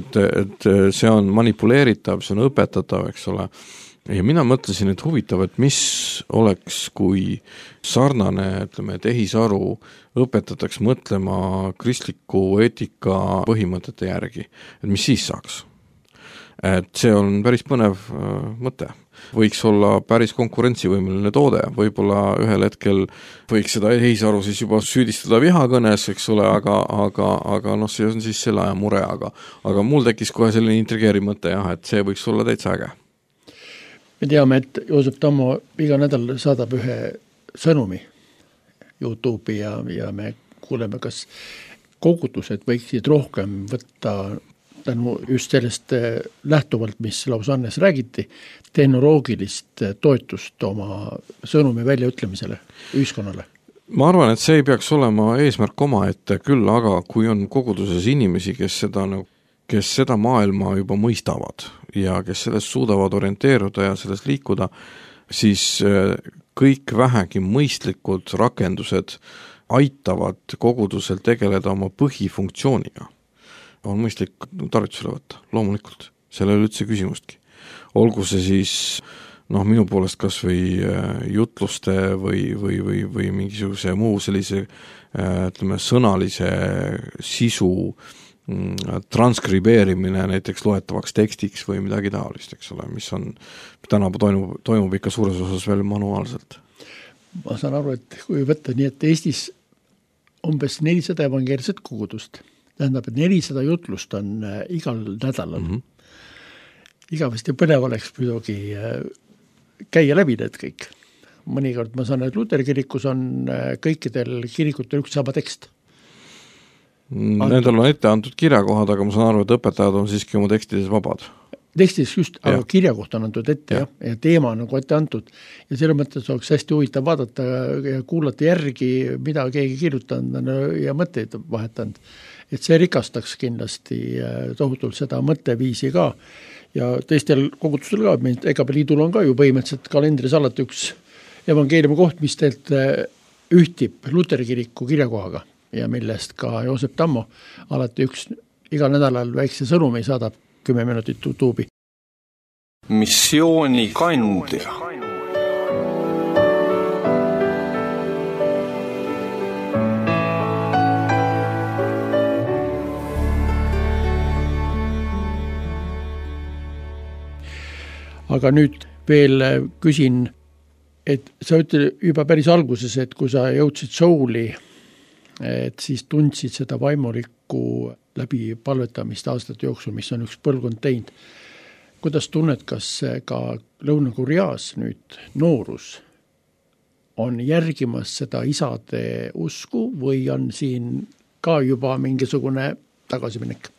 see on manipuleeritav, see on õpetatav, eks ole. Ja mina mõtlesin, et huvitav, et mis oleks, kui sarnane, ütleme, tehisaru õpetataks mõtlema kristliku eetika põhimõtete järgi, et mis siis saaks. Et see on päris põnev mõte. Võiks olla päris konkurentsivõimeline toode, võib-olla ühel hetkel võiks seda tehisaru siis juba süüdistada vihakõnes, eks ole, aga noh, see on siis selle aja mure, aga mul tekkis kohe selline intrigeeriv mõte, jah, et see võiks olla täitsa äge. Me teame, et Joosep Tammo iga nädal saadab ühe sõnumi YouTube'i ja me kuuleme, kas kogudused võiksid rohkem võtta tänu just sellest lähtuvalt, mis Lausannes räägiti, tehnoloogilist toetust oma sõnumi väljaütlemisele ühiskonnale. Ma arvan, et see ei peaks olema eesmärk omaette, küll aga kui on koguduses inimesi, kes seda maailma juba mõistavad ja kes sellest suudavad orienteeruda ja sellest liikuda, siis kõik vähegi mõistlikud rakendused aitavad kogudusel tegeleda oma põhifunktsiooniga. On mõistlik tarvitusele võtta, loomulikult. Selle ei ole üldse küsimustki. Olgu see siis minu poolest kas või jutluste või mingisuguse muu sellise ütleme, sõnalise sisu transkribeerimine näiteks loetavaks tekstiks või midagi taolist, eks ole, mis on täna toimub ikka suures osas veel manuaalselt. Ma saan aru, et kui võtta nii, et Eestis umbes 400 evangeelset kogudust, tähendab, et 400 jutlust on igal nädalal. Igavesti põnev oleks muidugi käia läbi need kõik. Mõnikord ma saan, et Luteri kirikus on kõikidel kirikutel üks sama tekst. Nendel on ette antud kirjakohad, aga ma saan aru, et õpetajad on siiski oma tekstides vabad. Tekstides just, aga kirjakoht on antud ette ja teema on nagu ette antud. Ja selle mõttes oleks hästi huvitav vaadata ja kuulata järgi, mida keegi kirjutanud ja mõtteid vahetanud. Et see rikastaks kindlasti tohutult seda mõtteviisi ka. Ja teistel kogudustel ka, EKP liidul on ka ju põhimõtteliselt kalendris alati üks evangeeliumi koht, mis teilt ühtib Luteri kiriku kirjakohaga ja millest ka Joosep Tammo alati igal nädalal väikse sõnumi saadab 10 minutit YouTube'i. Missiooni kandja. Aga nüüd veel küsin, et sa ütled juba päris alguses, et kui sa jõudsid Souli, et siis tundsid seda vaimulikku läbi palvetamist aastate jooksul, mis on üks põlvkond teinud. Kuidas tunned, kas ka Lõuna-Koreas nüüd noorus on järgimas seda isade usku või on siin ka juba mingisugune tagasiminek?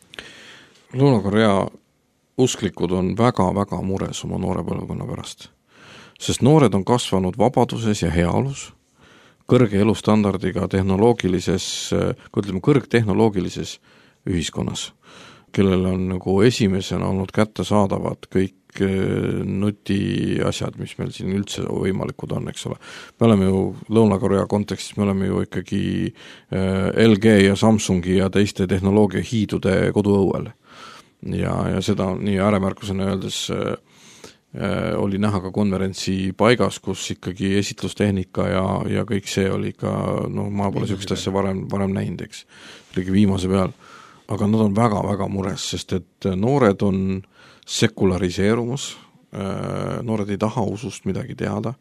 Lõuna-Korea usklikud on väga-väga mures oma noore põlvkonna pärast, sest noored on kasvanud vabaduses ja heaolus, kõrge elustandardiga kõrgtehnoloogilises ühiskonnas, kellel on nagu esimesena olnud kättesaadavad kõik nutiasjad, mis meil siin üldse võimalikud on, eks ole. Me oleme ju Lõuna-Korea kontekstis, me oleme ju ikkagi LG ja Samsungi ja teiste tehnoloogia hiidude koduõuel. Ja seda nii ääremärkusena öeldes oli näha ka konverentsi paigas, kus ikkagi esitlustehnika ja kõik see oli ka, ma pole sellist asja varem näinud, eks. Oligi viimase peal. aga nad on väga-väga mures, sest et noored on sekulariseerumas, noored ei taha usust midagi teada,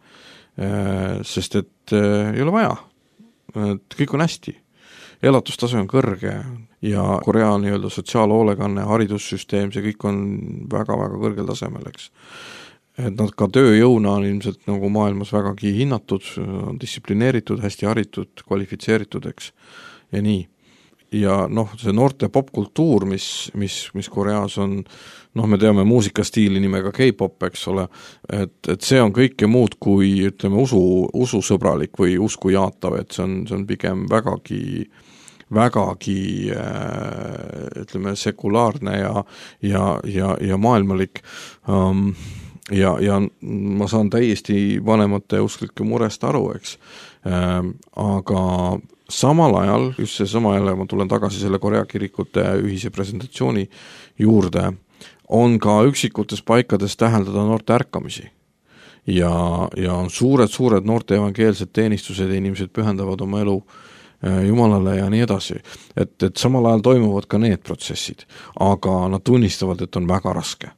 sest et ei ole vaja, et kõik on hästi. Elatustase on kõrge ja Korea nii-öelda sotsiaalhoolekanne, haridussüsteem, see kõik on väga-väga kõrgel tasemel, eks. Et nad ka tööjõuna on ilmselt nagu maailmas vägagi hinnatud, distsiplineeritud, hästi haritud, kvalifitseeritud, eks, ja nii. Ja noh, see noorte popkultuur, mis Koreas on, noh, me teame muusikastiili nimega K-pop, eks ole, et see on kõike muud kui, ütleme, ususõbralik või usku jaatav, et see on pigem vägagi ütleme, sekulaarne ja maailmalik ja ma saan täiesti vanemate usklike murest aru, eks. Aga samal ajal, just see sama jälle, ma tulen tagasi selle Korea kirikute ühise presentatsiooni juurde, on ka üksikutes paikades täheldada noorte ärkamisi. Ja on suured noorte evangeelsed teenistused ja inimesed pühendavad oma elu Jumalale ja nii edasi. Et samal ajal toimuvad ka need protsessid, aga nad tunnistavad, et on väga raske.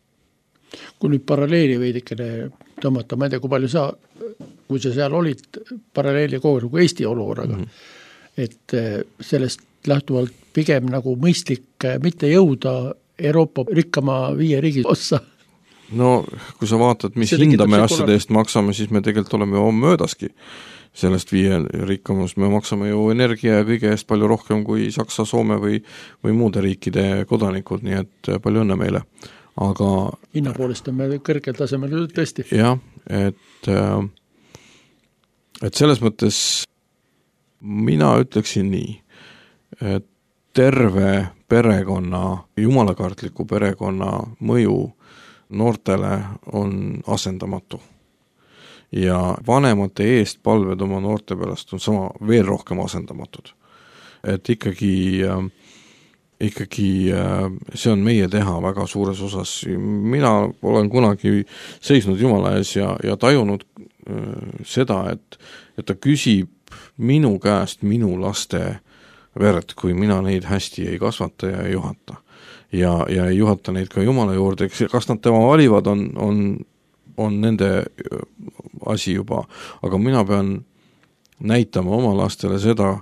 Kui nüüd paralleeli veidikene tõmmata, ma ei tea, kui sa seal olid paralleeli kogu nagu Eesti olukorraga, et sellest lähtuvalt pigem nagu mõistlik mitte jõuda Euroopa rikkama 5 riigi ossa. No, kui sa vaatad, mis hinda me asjade eest maksame, siis me tegelikult oleme ju möödaski sellest 5 rikkamust. Me maksame ju energia ja kõige eest palju rohkem kui Saksa, Soome või muude riikide kodanikud, nii et palju õnne meile. Aga hinna poolest on me kõrgel tasemel tõesti. Jah, et selles mõttes mina ütleksin nii, et terve perekonna, jumalakartliku perekonna mõju noortele on asendamatu. Ja vanemate eest palved oma noorte pärast on sama veel rohkem asendamatud. Et ikkagi see on meie teha väga suures osas. Mina olen kunagi seisnud Jumala ees ja tajunud seda, et ta küsib minu käest minu laste verd, kui mina neid hästi ei kasvata ja ei juhata. Ja ei juhata neid ka Jumala juurde. Kas nad tema valivad, on nende asi juba. Aga mina pean näitama oma lastele seda,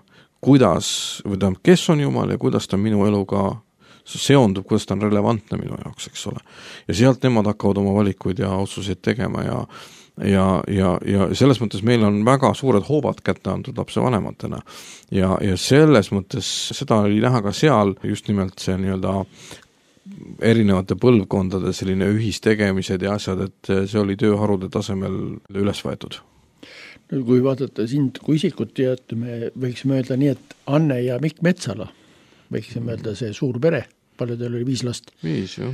kes on Jumal ja kuidas ta minu eluga seondub, kuidas ta on relevantne minu jaoks, eks ole. Ja sealt nemad hakkavad oma valikuid ja otsuseid tegema ja selles mõttes meil on väga suured hoobad kätte antud lapse vanematena. Ja selles mõttes seda oli näha ka seal just nimelt see nii-öelda erinevate põlvkondade selline ühistegemised ja asjad, et see oli tööharude tasemel üles võetud. Kui vaadata sind kui isikut ja me võiksime öelda nii, et Anne ja Mikk Metsala, võiksime öelda see suur pere, palju teil oli 5 last. 5, jah.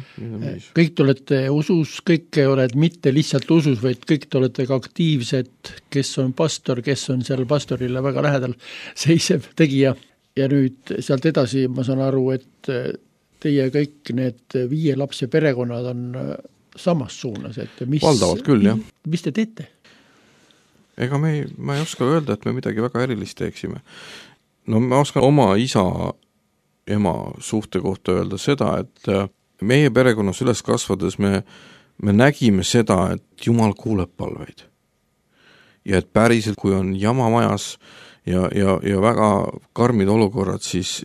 Kõik te olete usus, kõik oled mitte lihtsalt usus, vaid kõik te olete ka aktiivsed, kes on pastor, kes on seal pastorile väga lähedal seisev tegija. Ja nüüd sealt edasi ma saan aru, et teie kõik need 5 lapse perekonnad on samas suunas. Et valdavalt küll, jah. Mis te teete? Ega ma ei oska öelda, et me midagi väga erilist teeksime. No ma oskan oma ema suhte kohta öelda seda, et meie perekonnas üles kasvades me nägime seda, et Jumal kuuleb palveid. Ja et päriselt, kui on jama majas ja väga karmid olukorrad, siis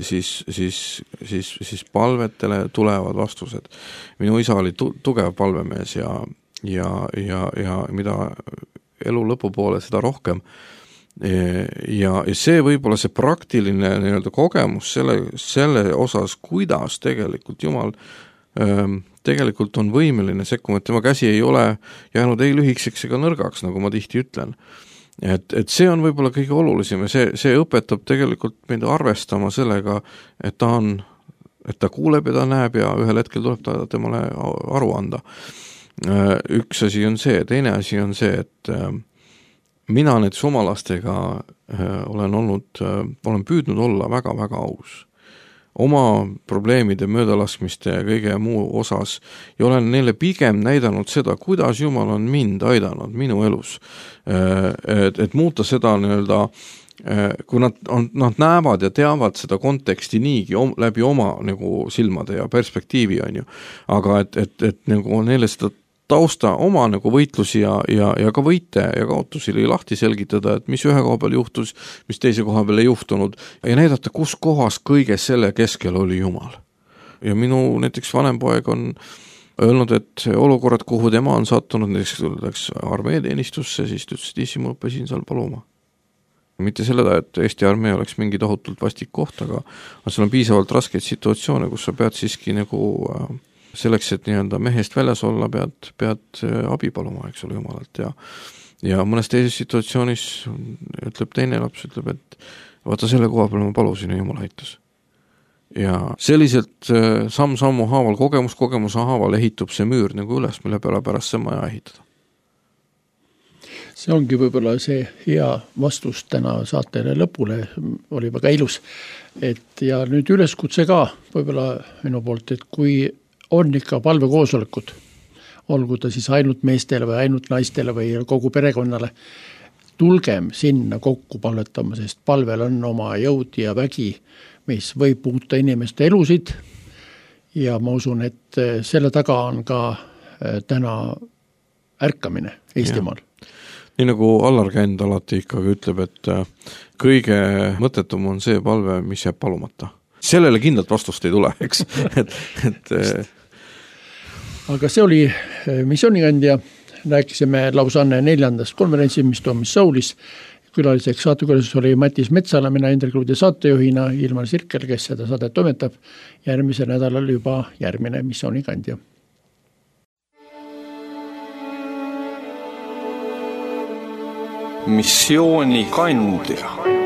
palvetele tulevad vastused. Minu isa oli tugev palvemees ja mida elu lõpupoole seda rohkem. Ja see võib-olla see praktiline nii-öelda kogemus selle osas, kuidas tegelikult Jumal tegelikult on võimeline sekkuma, et tema käsi ei ole jäänud ei lühikseks ega nõrgaks, nagu ma tihti ütlen. Et see on võib-olla kõige olulisem ja see õpetab tegelikult meid arvestama sellega, et ta kuuleb ja ta näeb ja ühel hetkel tuleb ta temale aru anda. Üks asi on see, teine asi on see, et mina näiteks oma lastega olen püüdnud olla väga-väga aus. oma probleemide, möödalaskmiste ja kõige muu osas ja olen neile pigem näidanud seda, kuidas Jumal on mind aidanud minu elus. Et muuta seda nii-öelda, kui nad näevad ja teavad seda konteksti niigi läbi oma nagu silmade ja perspektiivi on ju, aga et nagu neile seda tausta oma nagu võitlusi ja ka võite ja kaotusi lahti selgitada, et mis ühe koha peal juhtus, mis teise koha peal ei juhtunud ja näidata, kus kohas kõige selle keskel oli Jumal. Ja minu näiteks vanem poeg on öelnud, et olukorrad, kuhu tema on sattunud, näiteks läks armeeteenistusse, siis ütles, et isi, ma õppisin seal paluma. Mitte selleda, et Eesti armee oleks mingi tohutult vastik koht, aga seal on piisavalt raskeid situatsioone, kus sa pead siiski nagu selleks, et nii-öelda mehest väljas olla, pead abi paluma, eks ole, Jumalalt ja mõnes teises situatsioonis ütleb teine laps, ütleb, et vaata selle koha peal ma palusin ja Jumal aitas. Ja selliselt samm-sammu haaval, kogemuse haaval ehitub see müür nagu üles, mille peale pärast see maja ehitada. See ongi võib-olla see hea vastus täna saatele lõpule, oli väga ilus. Ja nüüd üleskutse ka võib-olla minu poolt, et kui on ikka palvekoosolekud, olgu ta siis ainult meestele või ainult naistele või kogu perekonnale, tulgem sinna kokku palvetama, sest palvel on oma jõud ja vägi, mis võib muuta inimeste elusid ja ma usun, et selle taga on ka täna ärkamine Eestimaal. Nii nagu Allar Känd alati ikkagi ütleb, et kõige mõttetum on see palve, mis jääb palumata. Sellele kindlalt vastust ei tule, eks. Aga see oli Missioonikandja, rääkisime Lausanne 4. konverentsi, mis toimus Soulis. Külaliseks saatekülastus oli Matis Metsala, mina Indrek Luudi saatejuhina, Ilmar Sirkel, kes seda saadet toimetab. Järgmisel nädalal juba järgmine Missioonikandja. Missioonikandja.